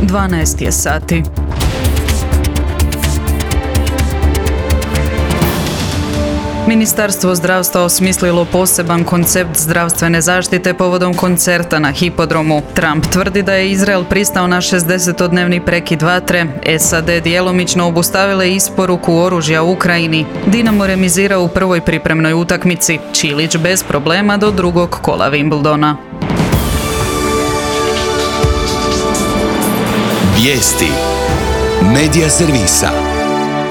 12 je sati. Ministarstvo zdravstva osmislilo poseban koncept zdravstvene zaštite povodom koncerta na hipodromu. Trump tvrdi da je Izrael pristao na 60-dnevni prekid vatre, SAD djelomično obustavile isporuku oružja u Ukrajini. Dinamo remizira u prvoj pripremnoj utakmici, Čilić bez problema do drugog kola Wimbledona. Vijesti Medija servisa.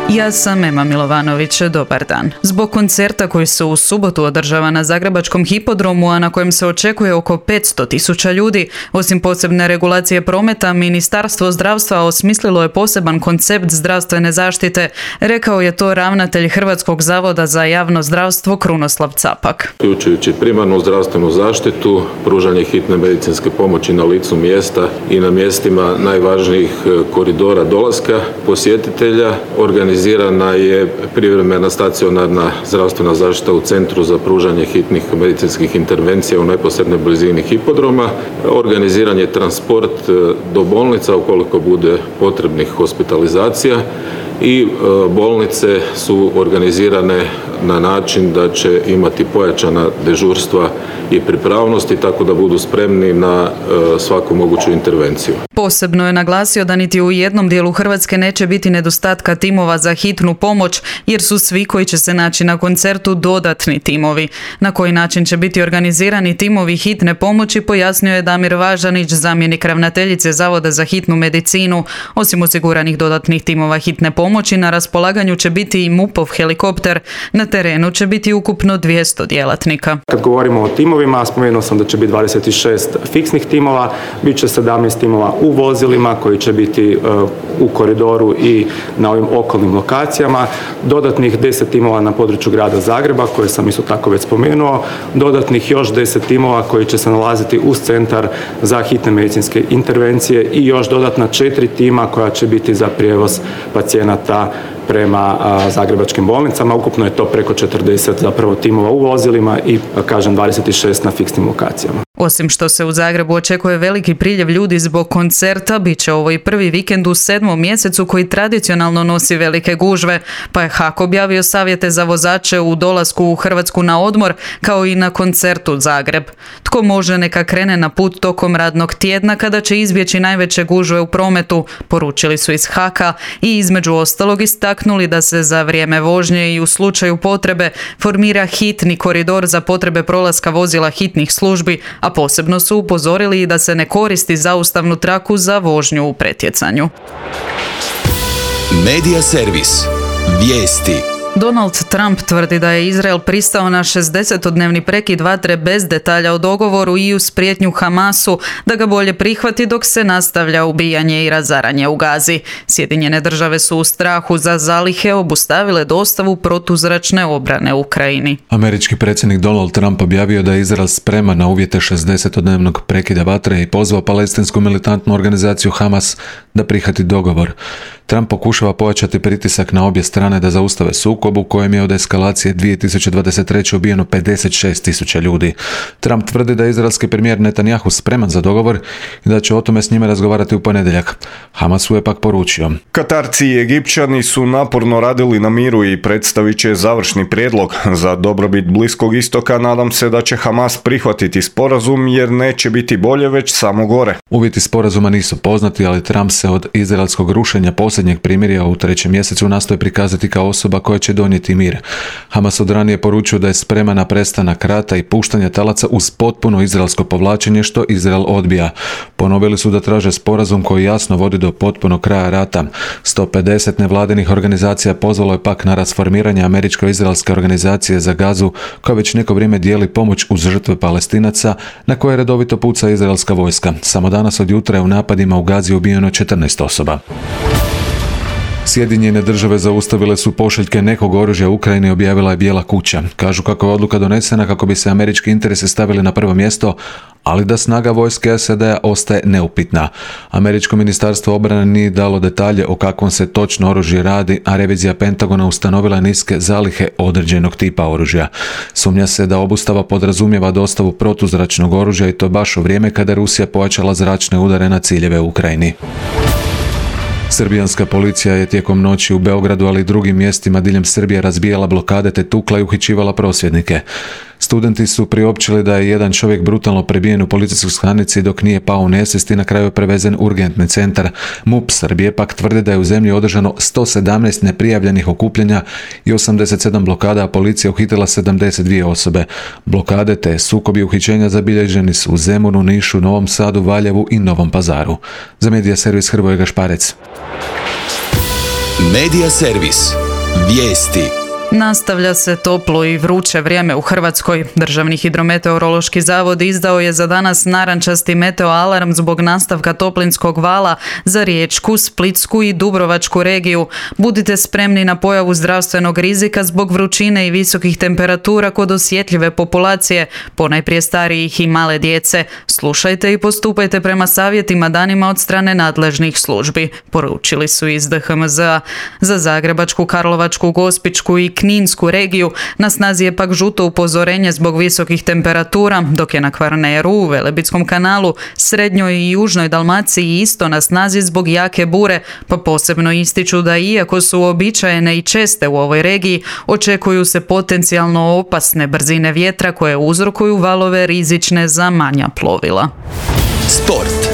Ja sam Ema Milovanović, dobar dan. Zbog koncerta koji se u subotu održava na zagrebačkom hipodromu, a na kojem se očekuje oko 500.000 ljudi, osim posebne regulacije prometa, Ministarstvo zdravstva osmislilo je poseban koncept zdravstvene zaštite, rekao je to ravnatelj Hrvatskog zavoda za javno zdravstvo Krunoslav Capak. Uključujući primarnu zdravstvenu zaštitu, pružanje hitne medicinske pomoći na licu mjesta i na mjestima najvažnijih koridora dolaska posjetitelja, organizirana je privremena stacionarna zdravstvena zaštita u Centru za pružanje hitnih medicinskih intervencija u neposrednoj blizini hipodroma, organiziran je transport do bolnica ukoliko bude potrebnih hospitalizacija i bolnice su organizirane na način da će imati pojačana dežurstva i pripravnosti tako da budu spremni na svaku moguću intervenciju. Posebno je naglasio da niti u jednom dijelu Hrvatske neće biti nedostatka timova za hitnu pomoć, jer su svi koji će se naći na koncertu dodatni timovi. Na koji način će biti organizirani timovi hitne pomoći, pojasnio je Damir Važanić, zamjenik ravnateljice Zavoda za hitnu medicinu. Osim osiguranih dodatnih timova hitne pomoći, na raspolaganju će biti i MUP-ov helikopter. Na terenu će biti ukupno 200 djelatnika. Kad govorimo o timovima, spomenuo sam da će biti 26 fiksnih timova, bit će 17 timova u vozilima koji će biti u koridoru i na ovim okolnim lokacijama, dodatnih 10 timova na području grada Zagreba, koje sam isto tako već spomenuo, dodatnih još 10 timova koji će se nalaziti uz centar za hitne medicinske intervencije i još dodatna 4 tima koja će biti za prijevoz pacijenata prema zagrebačkim bolnicama. Ukupno je to preko 40 zapravo timova u vozilima i 26 na fiksnim lokacijama. Osim što se u Zagrebu očekuje veliki priljev ljudi zbog koncerta, bit će ovo i prvi vikend u 7. mjesecu koji tradicionalno nosi velike gužve, pa je HAK objavio savjete za vozače u dolasku u Hrvatsku na odmor, kao i na koncertu Zagreb. Tko može, neka krene na put tokom radnog tjedna kada će izbjeći najveće gužve u prometu, poručili su iz HAK-a i između ostalog istaknuli da se za vrijeme vožnje i u slučaju potrebe formira hitni koridor za potrebe prolaska vozila hitnih službi, a posebno su upozorili da se ne koristi zaustavnu traku za vožnju u pretjecanju. Medija servis. Vijesti. Donald Trump tvrdi da je Izrael pristao na 60-dnevni prekid vatre bez detalja o dogovoru i uz prijetnju Hamasu da ga bolje prihvati dok se nastavlja ubijanje i razaranje u Gazi. Sjedinjene države su u strahu za zalihe obustavile dostavu protuzračne obrane Ukrajini. Američki predsjednik Donald Trump objavio da je Izrael spreman na uvjete 60-dnevnog prekida vatre i pozvao palestinsku militantnu organizaciju Hamas da prihvati dogovor. Trump pokušava pojačati pritisak na obje strane da zaustave sukob u kojem je od eskalacije 2023. ubijeno 56.000 ljudi. Trump tvrdi da je izraelski premijer Netanjahu spreman za dogovor i da će o tome s njime razgovarati u ponedjeljak. Hamasu je pak poručio: Katarci i Egipćani su naporno radili na miru i predstavit će završni prijedlog. Za dobrobit Bliskog istoka nadam se da će Hamas prihvatiti sporazum jer neće biti bolje, već samo gore. Uvjeti sporazuma nisu poznati, ali Trump se od izraelskog rušenja posljednjeg primirja u 3. mjesecu nastoji prikazati kao osoba koja će donijeti mir. Hamas od ranije poručio da je spreman na prestanak rata i puštanje talaca uz potpuno izraelsko povlačenje, što Izrael odbija. Ponovili su da traže sporazum koji jasno vodi do potpunog kraja rata. 150 nevladinih organizacija pozvalo je pak na rasformiranje američko-izraelske organizacije za Gazu, koja već neko vrijeme dijeli pomoć uz žrtve Palestinaca, na koje redovito puca izraelska vojska. Samo danas od jutra je u napadima u Gazi ubijeno 14 osoba. Sjedinjene države zaustavile su pošiljke nekog oružja u Ukrajini, objavila je Bijela kuća. Kažu kako je odluka donesena kako bi se američki interesi stavili na prvo mjesto, ali da snaga vojske SAD-a ostaje neupitna. Američko ministarstvo obrane nije dalo detalje o kakvom se točno oružje radi, a revizija Pentagona ustanovila niske zalihe određenog tipa oružja. Sumnja se da obustava podrazumijeva dostavu protuzračnog oružja i to baš u vrijeme kada je Rusija pojačala zračne udare na ciljeve u Ukrajini. Srbijanska policija je tijekom noći u Beogradu, ali i drugim mjestima diljem Srbije razbijala blokade te tukla i uhićivala prosvjednike. Studenti su priopćili da je jedan čovjek brutalno prebijen u policijskoj stanici dok nije pao u nesvijest i na kraju je prevezen u urgentni centar. MUP Srbije pak tvrdi da je u zemlji održano 117 neprijavljenih okupljanja i 87 blokada, a policija uhitila 72 osobe. Blokade te sukobi uhićenja zabilježeni su u Zemunu, Nišu, Novom Sadu, Valjevu i Novom Pazaru. Za Medija servis Hrvoje Gašparec. Medija servis. Vijesti. Nastavlja se toplo i vruće vrijeme u Hrvatskoj. Državni hidrometeorološki zavod izdao je za danas narančasti meteoalarm zbog nastavka toplinskog vala za Riječku, Splitsku i Dubrovačku regiju. Budite spremni na pojavu zdravstvenog rizika zbog vrućine i visokih temperatura kod osjetljive populacije, ponajprije starijih i male djece. Slušajte i postupajte prema savjetima danima od strane nadležnih službi, poručili su iz DHMZ-a. Za Zagrebačku, Karlovačku, Gospićku i Kninsku regiju na snazi je pak žuto upozorenje zbog visokih temperatura, dok je na Kvarneru, u Velebitskom kanalu, srednjoj i južnoj Dalmaciji isto na snazi zbog jake bure, pa posebno ističu da iako su uobičajene i česte u ovoj regiji, očekuju se potencijalno opasne brzine vjetra koje uzrokuju valove rizične za manja plovila. Sport.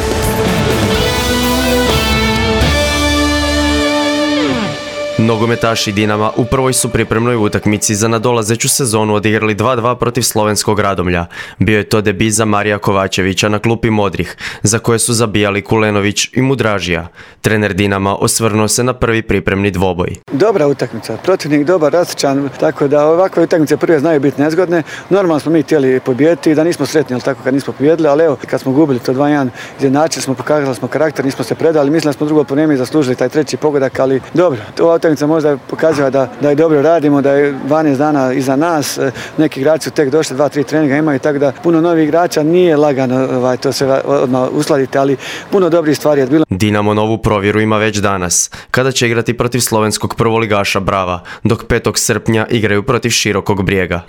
Nogometaši Dinama u prvoj su pripremnoj utakmici za nadolazeću sezonu odigrali 2-2 protiv slovenskog Radomlja. Bio je to debi za Marija Kovačevića na klupi modrih, za koje su zabijali Kulenović i Mudražija. Trener Dinama osvrnuo se na prvi pripremni dvoboj. Dobra utakmica, protivnik dobar, rastičan, tako da ovakve utakmice prve znaju biti nezgodne. Normalno smo mi htjeli pobijediti i da nismo sretni, ali tako kad nismo pobijedili, ali evo, kad smo gubili to 2-1, izjednačili smo, pokazali smo karakter, nismo se predali, mislim da smo drugo po vrijeme zaslužili taj treći pogodak, ali dobro, ova utakmica možda pokazuje da je dobro radimo, da je 12 dana iza nas, neki igrači su tek došli, 2-3 treninga imaju, tako da puno novih igrača, nije lagano to se odmah uskladiti, ali puno dobrih stvari je bilo. Dinamo novu provjeru ima već danas, kada će igrati protiv slovenskog prvoligaša Brava, dok 5. srpnja igraju protiv Širokog Brijega.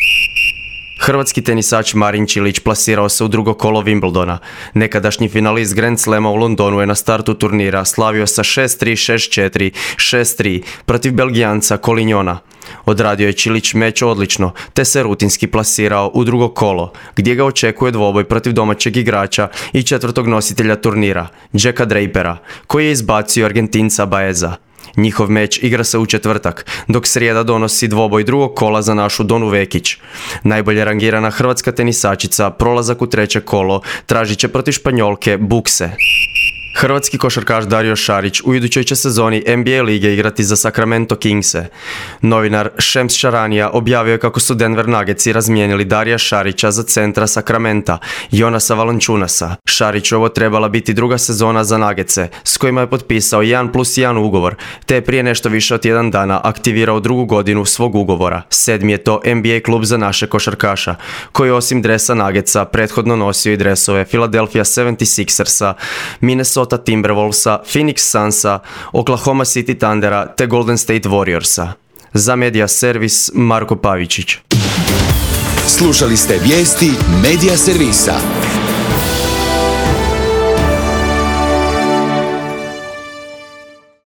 Hrvatski tenisač Marin Čilić plasirao se u drugo kolo Wimbledona. Nekadašnji finalist Grand Slama u Londonu je na startu turnira slavio sa 6-3, 6-4, 6-3 protiv Belgijanca Kolinjona. Odradio je Čilić meč odlično, te se rutinski plasirao u drugo kolo, gdje ga očekuje dvoboj protiv domaćeg igrača i četvrtog nositelja turnira, Jacka Drapera, koji je izbacio Argentinca Baeza. Njihov meč igra se u četvrtak, dok srijeda donosi dvoboj drugog kola za našu Donu Vekić. Najbolje rangirana hrvatska tenisačica prolazak u treće kolo tražit će protiv Španjolke Bukse. Hrvatski košarkaš Dario Šarić u idućoj će sezoni NBA lige igrati za Sacramento Kingse. Novinar Šems Šaranija objavio je kako su Denver Nuggetsi razmijenili Darija Šarića za centra Sacramenta, Jonasa Valančunasa. Šarićovo trebala biti druga sezona za Nuggetse, s kojima je potpisao 1+1 ugovor, te je prije nešto više od tjedan dana aktivirao drugu godinu svog ugovora. 7. je to NBA klub za naše košarkaša, koji osim dresa Nuggetsa prethodno nosio i dresove Philadelphia 76ersa, Minnesota Timberwolvesa, Phoenix Sunsa, Oklahoma City Thundera te Golden State Warriorsa. Za Medija servis Marko Pavičić. Slušali ste vijesti Medija servisa.